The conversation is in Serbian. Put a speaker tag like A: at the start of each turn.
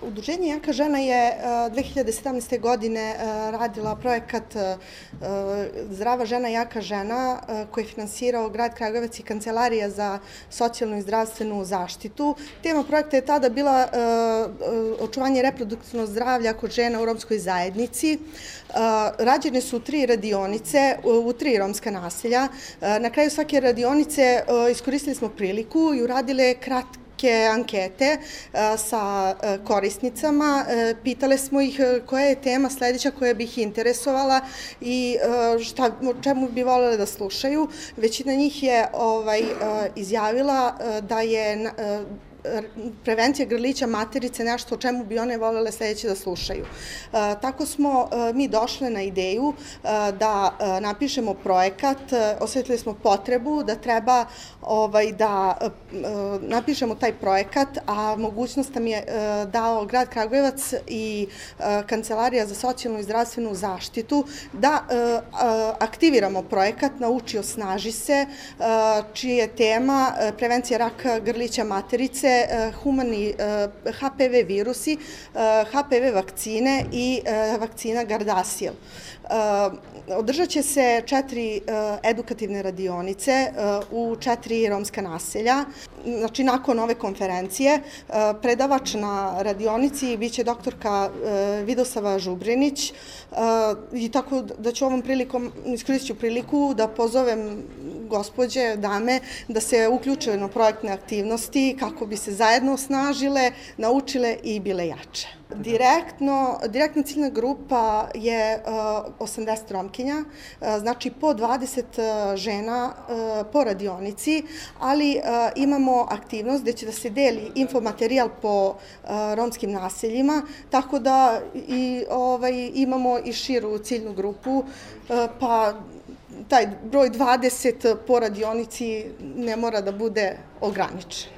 A: Udruženje Jaka žena je 2017. godine radila projekat Zdrava žena, jaka žena, koji je finansirao grad Kragujevac i Kancelarija za socijalnu i zdravstvenu zaštitu. Tema projekta je tada bila očuvanje reproduktivnog zdravlja kod žena u romskoj zajednici. Rađene su 3 radionice u 3 romska naselja. Na kraju svake radionice iskoristili smo priliku i uradile kratke ankete sa korisnicama. Pitale smo ih koja je tema sledeća koja bi ih interesovala i o čemu bi voljele da slušaju. Većina njih je izjavila da je prevencija grlića materice nešto o čemu bi one voljele sledeće da slušaju. Tako smo mi došle na ideju da napišemo projekat, osetili smo potrebu da treba da napišemo taj projekat, a mogućnost nam je dao grad Kragujevac i Kancelarija za socijalnu i zdravstvenu zaštitu da aktiviramo projekat Nauči, osnaži se, čija je tema prevencija raka grlića materice, humani HPV virusi, HPV vakcine i vakcina Gardasil. Održat će se 4 edukativne radionice u 4 romska naselja. Znači, nakon ove konferencije, predavač na radionici biće doktorka Vidosava Žubrinić i tako da ću ovom prilikom, iskoristit priliku da pozovem gospođe, dame, da se uključe na projektne aktivnosti kako bi se zajedno osnažile, naučile i bile jače. Direktna ciljna grupa je 80 romkinja, znači po 20 žena po radionici, ali imamo aktivnost gde će da se deli infomaterijal po romskim naseljima, tako da imamo i širu ciljnu grupu, pa taj broj 20 po radionici ne mora da bude ograničen.